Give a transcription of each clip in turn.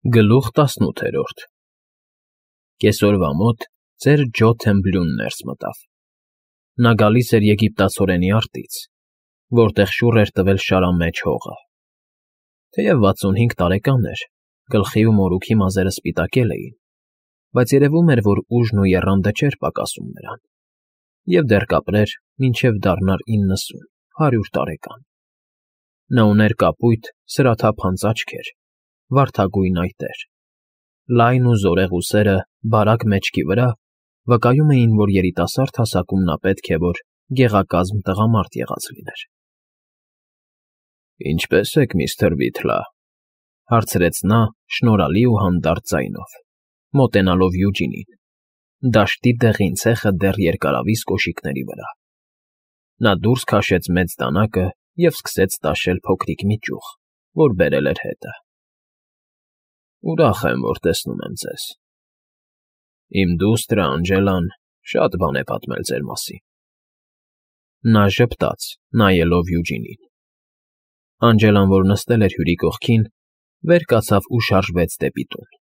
Գլուխ 18 Կեսօրվա մոտ ծեր Ջո Թեմբլյուն ներս մտավ։ Նա գալիս էր եգիպտացորենի արտից, որտեղ շուռ էր տվել շարամեջ հողը։ Թեև 65 տարեկան էր, գլխի ու մորուքի մազերը սպիտակել էին, բայց երևում էր, որ ուժն ու եռանդը չէր պակասում նրան, և դեռ կապրեր, մինչև դառնար 90-100 տարեկան։ Նա ուներ կապույտ, սրաթափանց աչքեր, վարդագույն այտեր, լայն ու զորեղ ուսերը բարակ մեջքի վրա վկայում էին, որ երիտասարդ հասակում նա պետք է որ գեղակազմ տղամարդ եղած լիներ։ ֊ Ինչպե՞ս եք, միստր Վիթլա,֊ հարցրեց նա շնորհալի ու հանդարտ ձայնով, մոտենալով Յուջինին, դաշտի դեղին ցեխը դեռ երկարավիզ կոշիկների վրա։ Նա դուրս քաշեց մեծ դանակը և սկսեց տաշել փոքրիկ մի ճյուղ, որ բերել էր հետը։ ֊ Ուրախ եմ, որ տեսնում եմ ձեզ։ Իմ դուստր Անջելան շատ բան է պատմել ձեր մասին։ Նա ժպտաց, նայելով Յուջինին։ Անջելան, որ նստել էր հյուրի կողքին, վեր կացավ ու շարժվեց դեպի տուն։ ֊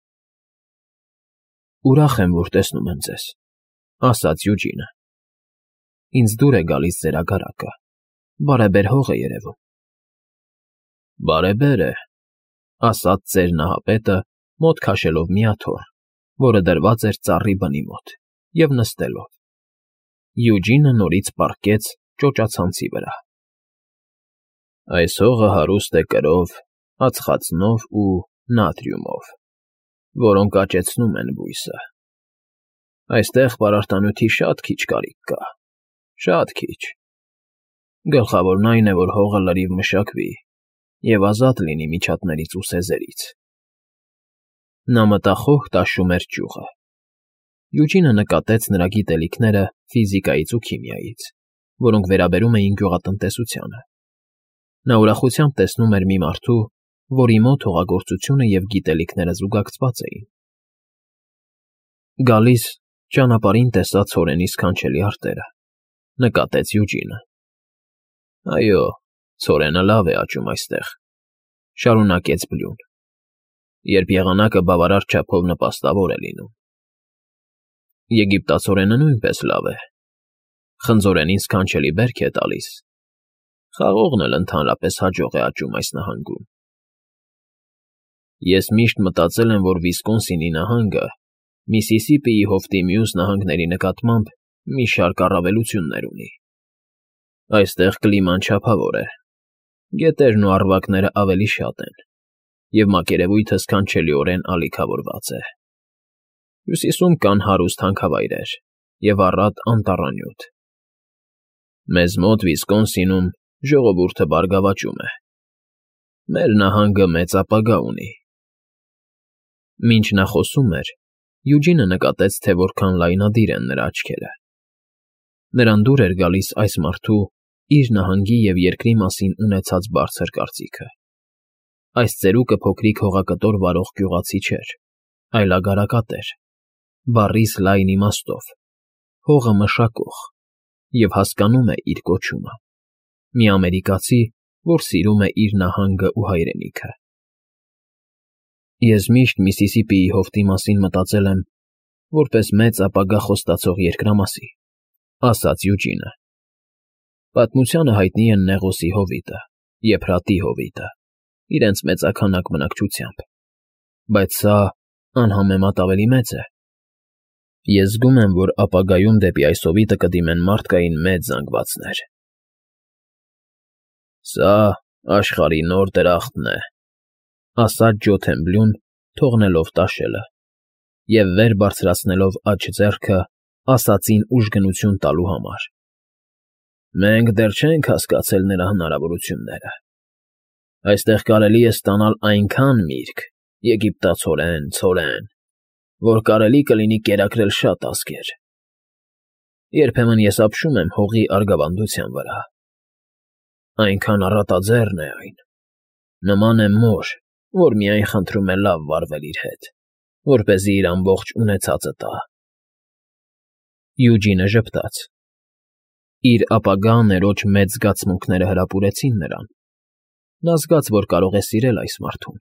Ուրախ եմ, որ տեսնում եմ ձեզ,֊ ասաց Յուջինը։ Ինձ դուր է գալիս ձեր ագարակը, բարեբեր հող է երևում։ ֊ Բարեբեր է,֊ ասաց ծեր նահապետը, մոտ քաշելով մի աթոռ, որը դրված էր ծառի բնի մոտ, և նստելով։ Յուջինը նորից պառկեց ճոճացանցի վրա։ ֊ Այս հողը հարուստ է կրով, ածխածնով ու նատրիումով, որոնք աճեցնում են բույսը։ Այստեղ պարարտանյութի շատ քիչ կարիք կա, շատ քիչ։ Գլխավորն այն է, որ հողը լրիվ մշակվի և ազատ լինի միջատներից ու սեզերից։ Նա մտախոհ տաշում էր ճյուղը։ Յուջինը նկատեց նրա գիտելիքները ֆիզիկայից ու քիմիայից, որոնք վերաբերում էին գյուղատնտեսությանը։ Նա ուրախությամբ տեսնում էր մի մարդու, որի մոտ հողագործությունը և գիտելիքները զուգակցված էին։ Գալիս ճանապարհին տեսա ցորենի սքանչելի արտերը,֊ նկատեց Յուջինը։ ֊ Այո, ցորենը լավ է աճում այստեղ,֊ շարունակեց Բլյուն,֊ երբ եղանակը բավարար չափով նպաստավոր է լինում։ Եգիպտացորենը նույնպես լավ է, խնձորենին սքանչելի բերք է տալիս, խաղողն էլ ընդհանրապես հաջող է աճում այս նահանգում։ Ես միշտ մտածել եմ, որ Վիսկոնսինի նահանգը Միսիսիպիի հովտի մյուս նահանգների նկատմամբ մի շարք առավելություններ ունի։ Այստեղ կլիման չափավոր է, գետերն ու առվակները ավելի շատ են, և մակերևույթը սքանչելիորեն ալիքավորված է։ Հյուսիսում կան հարուստ հանքավայրեր և առատ անտառանյութ։ Մեզ մոտ Վիսկոնսինում ժողովուրդը բարգավաճում է։ Մեր նահանգը մեծ ապագա ունի։ Մինչ նա խոսում էր, Յուջինը նկատեց, թե որքան լայնադիր են նրա աչքերը։ Նրան դուր էր գալիս այս մարդու իր նահանգի և երկրի մասին ունեցած բարձր կարծիքը։ Այս ծերուկը փոքրիկ հողակտոր վարող գյուղացի չէր, այլ ագարակատեր, բառիս լայն իմաստով, հողը մշակող և հասկանում է իր կոչումը, մի ամերիկացի, որ սիրում է իր նահանգը ու հայրենիքը։ Ես միշտ Միսիսիպիի հովտի մասին մտածել եմ որպես մեծ ապագա խոստացող երկրամասի,֊ ասաց Յուջինը։ Պատմությանը հայտնի են Նեղոսի հովիտը, Եփրատի հովիտը, իրենց մեծաքանակ բնակչությամբ, բայց սա անհամեմատ ավելի մեծ է։ Ես զգում եմ, որ ապագայում դեպի այս հովիտը կդիմեն մարդկային մեծ զանգվածներ։ Սա աշխարհի նոր դրախտն է,֊ ասաց Ջո Թեմբլյուն, թողնելով տաշելը, և վեր բարձրացնելով աջ ձեռքը ասածին ուժգնություն տալու համար։ Մենք դեռ չենք հասկացել նրա հնարավորությունները։ Այստեղ կարելի է ստանալ այնքան միրգ, եգիպտացորեն, ցորեն, որ կարելի կլինի կերակրել շատ ազգեր։ Երբեմն ես ապշում եմ հողի արգավանդության վրա։ Այնքան առատաձեռն է այն, նման է մոր, որ միայն խնդրում է լավ վարվել իր հետ, որպեսզի իր ամբողջ ունեցածը տա։ Յուջինը ժպտաց։ Իր ապագա աներոջ մեծ զգացմունքները հրապուրեցին նրան։ Նա զգաց, որ կարող է սիրել այս մարդուն,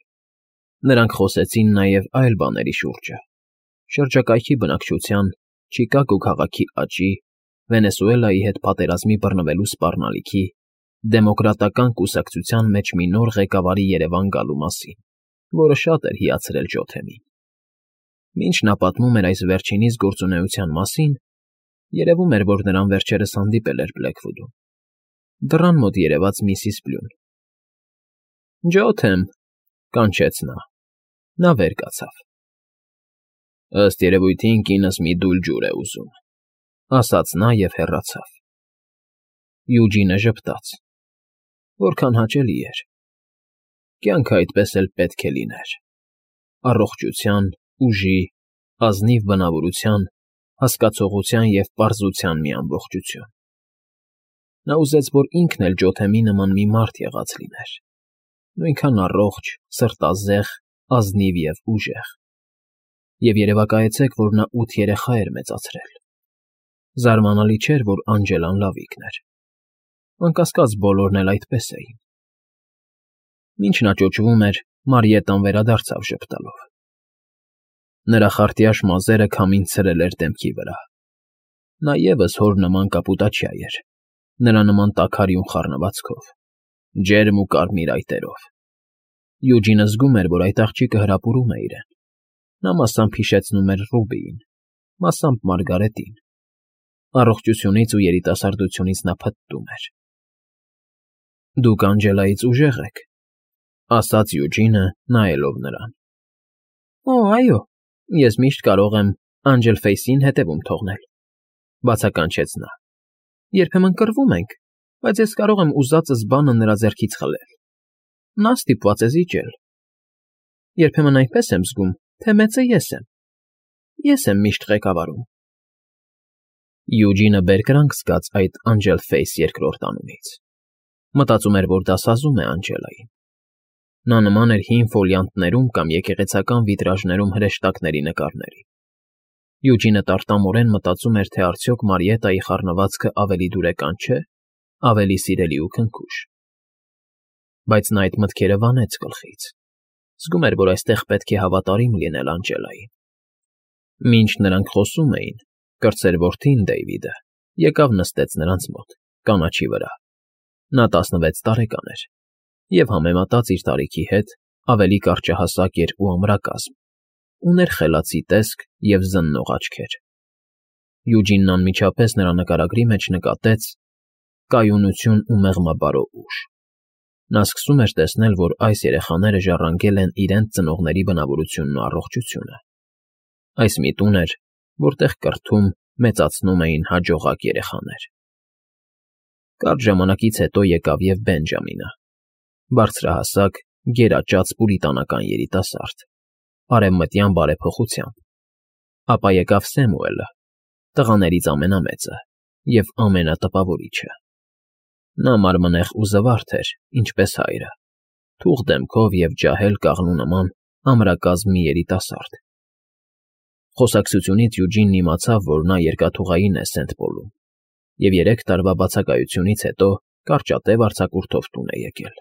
Նրանք խոսեցին նաև այլ բաների շուրջը. շրջակայքի բնակչության, Չիկագո քաղաքի աճի, Վենեսուելայի հետ պատերազմի բռնվելու սպառնալիքի, դեմոկրատական կուսակցության մեջ մի նոր ղեկավարի երևան գալու մասին, որը շատ էր հիացրել Ջոթեմին։ Մինչ նա պատմում էր այս վերջինիս գործունեության մասին, երևում էր, որ նրան վերջերս հանդիպել էր Բլեքվուդում։ Դռան մոտ երևաց միսիս Բլուն։ «Ջոթեմ», կանչեց նա։ Նա վեր կացավ։ «Ըստ երևույթին կինս մի դույլ ջուր է ուզում», ասաց նա և հեռացավ։ Յուջինը ժպտաց։ Որքան հաճելի էր։ Կյանքը այդպես էլ պետք է լիներ։ Առողջության, ուժի, ազնիվ բնավորության, հասկացողության և պարզության մի ամբողջություն։ Նա ուզեց, որ ինքն էլ Ջոթեմի նման մի մարդ եղած լիներ։ Նույնքան առողջ, սրտազեղ, ազնիվ և ուժեղ։ Եվ երևակայեցեք, որ նա 8 երեխա էր մեծացրել։ Զարմանալի չէր, որ Անջելան լավիկն էր։ Անկասկած բոլորն էլ այդպես էին։ Մինչ նա ճոճվում էր, Մարիետան վերադարձավ ժպտալով։ Նրա խարտյաշ մազերը քամին ցրել էր դեմքի վրա։ Նա ևս հոր նման կապուտաչյա էր, նրա նման տաքարյուն խառնվածքով, ջերմ ու կարմիր այտերով։ Յուջինը զգում էր, որ այդ աղջիկը հրապուրում է իրեն։ Նա մասամբ հիշեցնում էր Ռուբիին, մասամբ Մարգարետին։ Առողջությունից ու երիտասարդությունից նա փտտում էր։ Դուք Անջելայից ուժեղ եք, ասաց Յուջինը, նայելով նրան։ Օ, այո, ես միշտ կարող եմ Անջելֆեյսին հետևում թողնել, բացականչեց նա։ Երբեմն կռվում ենք, բայց ես կարող եմ ուզածս բանը նրա ձեռքից խլել։ Նա ստիպված է զիջել։ Երբեմն այնպես եմ զգում, թե մեծը ես եմ։ Ես եմ միշտ ղեկավարում։ Յուջինը բերկրանք զգաց այդ Անջելֆեյս երկրորդ անունից։ Մտածում էր, որ դասազում է Անջելային։ Նա նման էր հին ֆոլիանտներում կամ եկեղեցական վիտրաժներում հրեշտակների նկարների։ Յուջինը տարտամորեն մտածում էր, թե արդյոք Մարիետայի խառնվածքը ավելի դուրեկան չէ, ավելի սիրելի ու քնքուշ։ Բայց նա այդ մտքերը վանեց գլխից։ Զգում էր, որ այստեղ պետք է հավատարիմ լինել Անջելային։ Մինչ նրանք խոսում էին, կրտսեր որդին Դեյվիդը եկավ նստեց նրանց մոտ, կանաչի վրա։ Նա 16 տարեկան էր և համեմատած իր տարիքի հետ ավելի կարճահասակ էր ու ամրակազմ, ուներ խելացի տեսք և զննող աչքեր։ Յուջինն անմիջապես նրա նկարագրի մեջ նկատեց կայունություն ու մեղմաբարո ուժ։ Նա սկսում էր տեսնել, որ այս երեխաները ժառանգել են իրենց ծնողների բնավորությունն ու առողջությունը։ Այս մի տուն էր, որտեղ կրթում, մեծացնում էին հաջողակ երեխաներ։ Կարճ ժամանակից հետո եկավ և Բենջամինը, բարձրահասակ, գերաճած պուրիտանական երիտասարդ, արևմտյան բարեփոխությամբ։ Ապա եկավ Սեմուելը, տղաներից ամենամեծը և ամենատպավորիչը։ Նա մարմնեղ ու զվարթ էր, ինչպես հայրը, թուխ դեմքով և ջահել կաղնու նման ամրակազմ մի երիտասարդ։ Խոսակցությունից Յուջինն իմացավ, որ նա երկաթուղային է Սենթ Պոլում և 3 տարվա բացակայությունից հետո կարճատև արձակուրդով տուն է եկել։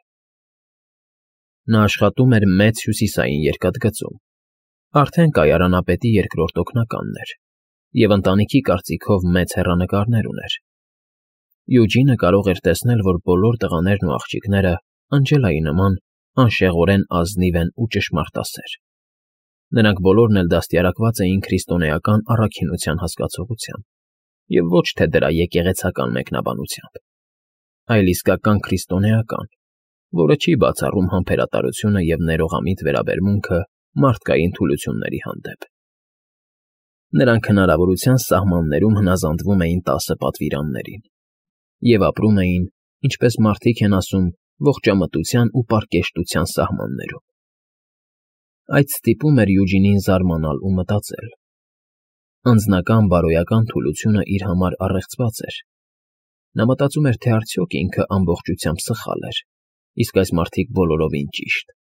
Նա աշխատում էր Մեծ Հյուսիսային երկաթգծում, արդեն կայարանապետի երկրորդ օգնականն էր և ընտանիքի կարծիքով մեծ հեռանկարներ ուներ։ Յուջինը կարող էր տեսնել, որ բոլոր տղաներն ու աղջիկները Անջելայի նման անշեղորեն ազնիվ են ու ճշմարտասեր։ Նրանք բոլորն էլ դաստիարակված էին քրիստոնեական առաքինության հասկացողությամբ և ոչ թե դրա եկեղեցական մեկնաբանությամբ, այլ իսկական քրիստոնեական, որը չի բացառում համբերատարությունը և ներողամիտ վերաբերմունքը մարդկային թուլությունների հանդեպ։ Նրանք հնարավորության սահմաններում հնազանդվում էին 10 պատվիրաններին և ապրում էին, ինչպես մարդիկ են ասում, ողջամտության ու պարկեշտության սահմաններում։ Այդ ստիպում էր Յուջինին զարմանալ ու մտածել։ Անձնական բարոյական թուլությունը իր համար առեղծված էր։ Նա մտածում էր, թե արդյոք ինքը ամբողջությամբ սխալ էր, իսկ այս մարդիկ բոլորովին ճիշտ։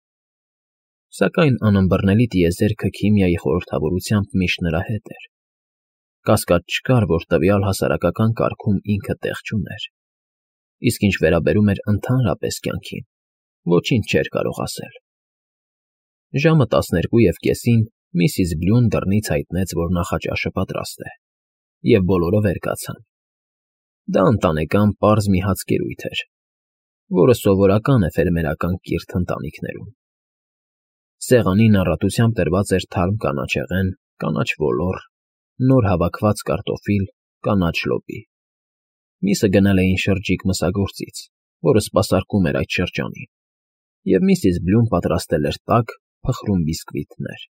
Սակայն անըմբռնելի տիեզերքը քիմիայի խորհրդավորությամբ միշտ նրա հետ էր։ Կասկած չկար, որ տվյալ հասարակական կարգում ինքը տեղ չուներ։ Իսկ ինչ վերաբերում էր ընդհանրապես կյանքին, ոչինչ չէր կարող ասել։ Ժամը 12:30 Միսիս Բլյուն դռնից հայտնեց, որ նախաճաշը պատրաստ է, և բոլորը վեր կացան։ Դա ընտանեկան պարզ մի հացկերույթ էր, որը սովորական է ֆերմերական կիրթ ընտանիքներում։ Սեղանին առատությամբ դրված էր թարմ կանաչեղեն, կանաչ ոլոր, նոր հավաքված կարտոֆիլ, կանաչ լոբի։ Միսը գնել էին շրջիկ մսագործից, որը սպասարկում էր այդ շրջանին, և միսիս Բլյուն պատրաստել էր տաք, փխրուն բիսկվիթներ։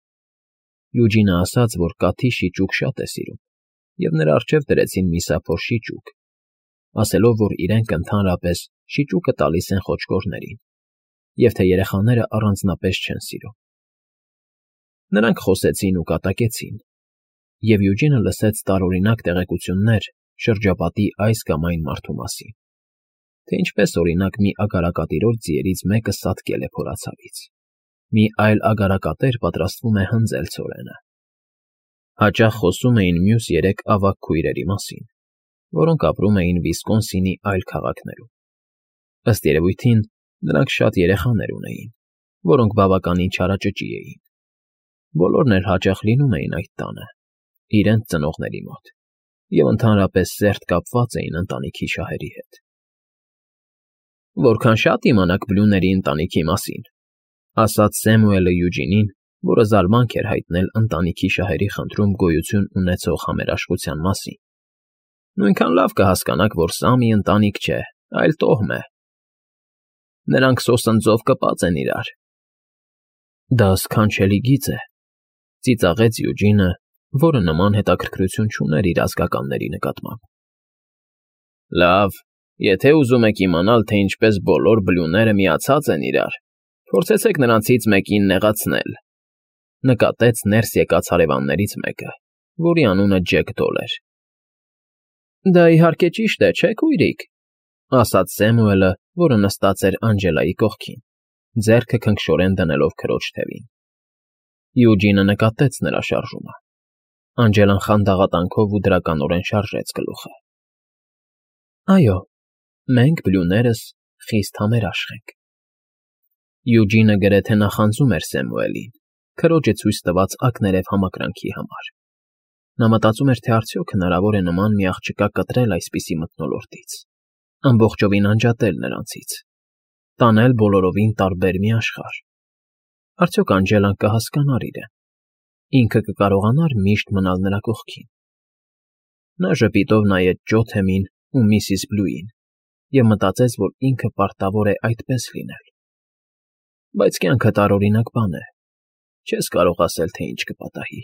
Յուջինը ասաց, որ կաթի շիճուկ շատ է սիրում, և նրա առջև դրեցին միսափոր շիճուկ, ասելով, որ իրենք ընդհանրապես շիճուկը տալիս են խոճկորներին, և թե երեխաները առանձնապես չեն սիրում։ Նրանք խոսեցին ու կատակեցին, և Յուջինը լսեց տարօրինակ տեղեկություններ շրջապատի այս կամ այն մարդու մասին, թե ինչպես, օրինակ, մի ագարակատիրոջ ձիերից մեկը սատկել է փորացավից, մի այլ ագարակատեր պատրաստվում է հնձել ցորենը։ Հաճախ խոսում էին մյուս 3 ավագ քույրերի մասին, որոնք ապրում էին Վիսկոնսինի այլ քաղաքներում։ Ըստ երևույթին, նրանք շատ երեխաներ ունեին, որոնք բավականին չարաճճի էին։ Բոլորն էլ հաճախ լինում էին այդ տանը, իրենց ծնողների մոտ, և ընդհանրապես սերտ կապված էին ընտանիքի շահերի հետ։ «Որքան շատ իմանաք Բլյուների ընտանիքի մասին», ասաց Սեմուելը Յուջինին, որը զարմանք էր հայտնել ընտանիքի շահերի խնդրում գոյություն ունեցող համերաշխության մասին։ «Նույնքան լավ կհասկանաք, որ սա մի ընտանիք չէ, այլ տոհմ է։ Նրանք սոսնձով կպած են իրար»։ «Դա սքանչելի գիծ է», ծիծաղեց Յուջինը, որը նման հետաքրքրություն չուներ իր ազգականների նկատմամբ։ «Լավ, եթե ուզում եք իմանալ, թե ինչպես բոլոր Բլյուները միացած են իրար, փորձեցեք նրանցից մեկին նեղացնել», նկատեց ներս եկած հարևաններից մեկը, որի անունը Ջեք Դոլ էր։ «Դա իհարկե ճիշտ է, չէ՞, քույրիկ», ասաց Սեմուելը, որը նստած էր Անջելայի կողքին, ձեռքը քնքշորեն դնելով քրոջ թևին։ Յուջինը նկատեց նրա շարժումը։ Անջելան խանդաղատանքով ու դրականորեն շարժեց գլուխը։ «Այո, մենք Բլյուներս խիստ համերաշխ ենք»։ Յուջինը գրեթե նախանձում էր Սեմուելին, քրոջը ցույց տված ակներև համակրանքի համար։ Նա մտածում էր, թե արդյոք հնարավոր է նման մի աղջկա կտրել այսպիսի մթնոլորտից, ամբողջովին անջատել նրանցից, տանել բոլորովին տարբեր մի աշխարհ։ Արդյոք Անջելան կհասկանար իրեն, ինքը կկարողանա՞ր միշտ մնալ նրա կողքին։ Նա ժպիտով նայեց Ջոթեմին ու միսիս Բլյուին և մտածեց, որ ինքը պարտավոր է այդպես լինել։ Բայց կյանքը տարօրինակ բան է, չես կարող ասել, թե ինչ կպատահի։